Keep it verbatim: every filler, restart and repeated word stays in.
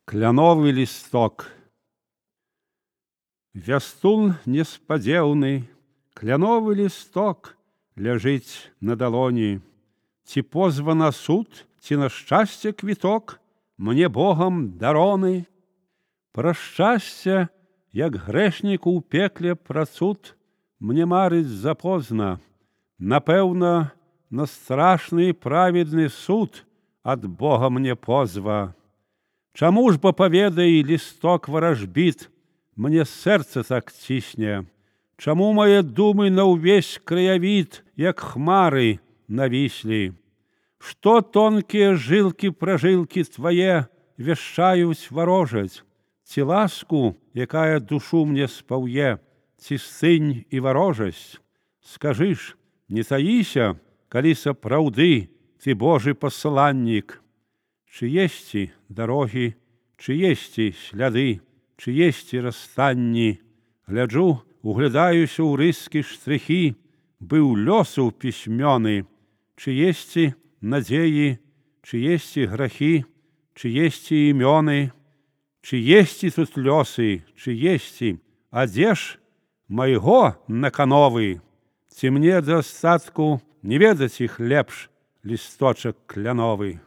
Кляновы лісток. Вястун неспадзеўны, кляновы лісток ляжыць на далоні. Ці позва на суд, ці на шчасце квіток, мне Богам дароны. Пра шчасце, як грэшніку ў пекле пра цуд, мне марыць запозна. Напэўна, на страшны і праведны суд ад Бога мне позва. Чаму ж бо, паведай, лісток варажбіт, мне сэрца так цісне? Чаму мае думы на ўвесь краявід, як хмары навіслі? Што тонкія жылкі-пражылкі твае вяшчаюць варожаць? Ці ласку, якая душу мне спаўе, ці сынь і варожасць? Скажы ж, не таіся, калі сапраўды ты Божы пасланнік. Чы есці дарогі, чы есці сляды, чы есці расстанні? Гляджу, углядаюся ў рыскі штрыхі, быў лёсу пісьмёны. Чы есці надзеі, чы есці грахі, чы есці імёны? Чы есці тут лёсы, чы есці, а дзе ж майго накановы? Ці мне да астатку не ведаць іх лепш, лісточак кляновы?